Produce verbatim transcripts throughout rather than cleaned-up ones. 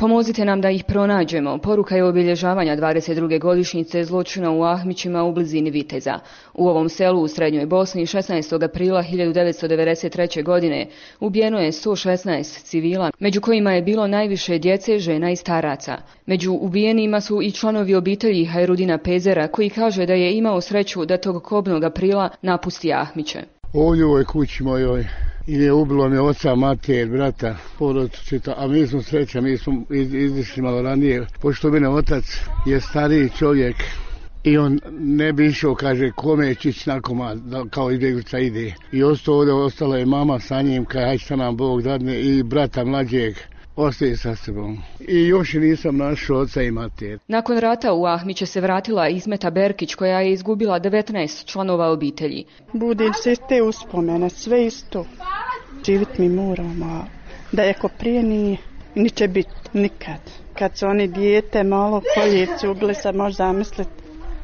Pomozite nam da ih pronađemo. Poruka je obilježavanja dvadeset druge godišnjice zločina u Ahmićima u blizini Viteza. U ovom selu u Srednjoj Bosni šesnaestog aprila hiljadu devetsto devedeset treće. godine ubijeno je sto šesnaest civila, među kojima je bilo najviše djece, žena i staraca. Među ubijenima su i članovi obitelji Hajrudina Pezera, koji kaže da je imao sreću da tog kobnog aprila napusti Ahmiće. Ovdje u ovoj kući mojoj i je ubilo mi oca, mater, brata, porodicu, a mi smo sreća, mi smo izišli malo ranije, pošto mene otac je stariji čovjek i on ne bi išao, kaže, kome će ići na komad, kao izbjeglica ide. I ostao ovdje, ostala je mama sa njim, kaj hajde šta nam Bog dadne, i brata mlađeg. Ostaje sa sobom. I još nisam našao oca i mater. Nakon rata u Ahmiće se vratila Ismeta Berkić, koja je izgubila devetnaest članova obitelji. Budim se te uspomene, sve isto. Živit mi moramo, da je ko prije nije, ni će biti nikad. Kad su oni dijete malo koljecu uglesa, može zamisliti.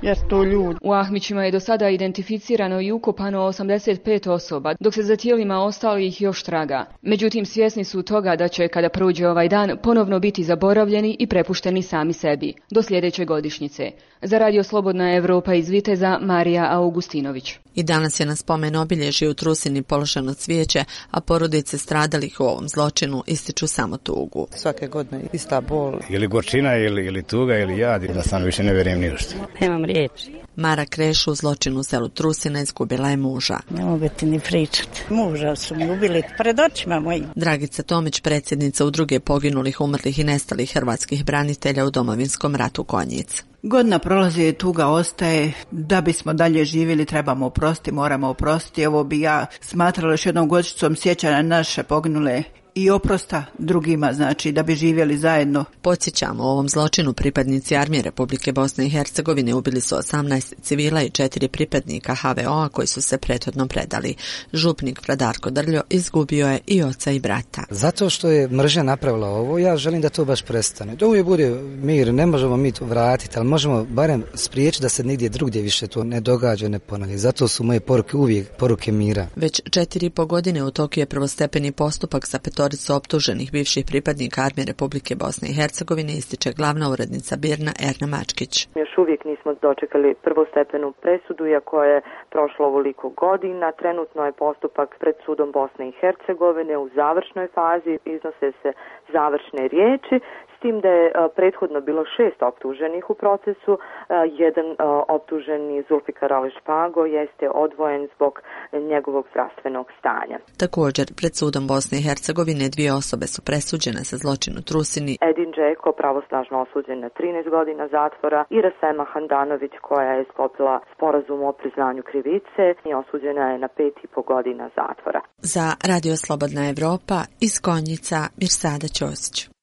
Jer to ljudi. U Ahmićima je do sada identificirano i ukopano osamdeset pet osoba, dok se za tijelima ostalih još traga. Međutim, svjesni su toga da će, kada prođe ovaj dan, ponovno biti zaboravljeni i prepušteni sami sebi, do sljedeće godišnjice. Za Radio Slobodna Evropa iz Viteza, Marija Augustinović. I danas je na spomen obilježju u Trusini položeno cvijeće, a porodice stradalih u ovom zločinu ističu samo tugu. Svake godine ista bol. Ili gorčina, ili, ili tuga, ili jad, da sam više ne vjerujem ni što. Nemam riječi. Mara Kreš u zločinu u selu Trusina izgubila je muža. Ne mogu ti ni pričati. Muža su mi ubili pred očima mojim. Dragica Tomić, predsjednica Udruge poginulih, umrlih i nestalih hrvatskih branitelja u Domovinskom ratu Konjic. Godina prolazi i tuga ostaje. Da bismo dalje živjeli trebamo oprostiti, moramo oprostiti. Ovo bi ja smatrala još jednom godišnjicom sjećanja naše poginule i oprosta drugima, znači da bi živjeli zajedno. Podsjećamo, u ovom zločinu pripadnici Armije Republike Bosne i Hercegovine ubili su osamnaest civila i četiri pripadnika ha ve o a koji su se prethodno predali. Župnik Fradarko Drljo izgubio je i oca i brata. Zato što je mržnja napravila ovo, ja želim da to baš prestane. Da uvijek bude mir, ne možemo mi to vratiti, ali možemo barem spriječiti da se nigdje drugdje više to ne događa, ne ponavlja. Zato su moje poruke uvijek poruke mira. Već četiri i po godine u toku je prvostepeni postupak za petoricu optuženih bivših pripadnika Armije Republike Bosne i Hercegovine, ističe glavna urednica Birna Erna Mačkić. Još uvijek nismo dočekali prvostepenu presudu, iako je prošlo ovoliko godina. Trenutno je postupak pred sudom Bosne i Hercegovine u završnoj fazi, iznose se završne riječi, s tim da je prethodno bilo šest optuženih u procesu. Jedan optuženi Zulfikar Ali Špago jeste odvojen zbog njegovog zdravstvenog stanja. Također, pred sudom Bosne i Hercegovine dvije osobe su presuđene za zločin u Trusini. Edin Džeko, pravosnažno osuđen na trinaest godina zatvora, i Rasema Handanović, koja je sklopila sporazum o priznanju krivice i osuđena je na pet i po godina zatvora. Za Radio Slobodna Evropa iz Konjica, Mirsada Ćosić.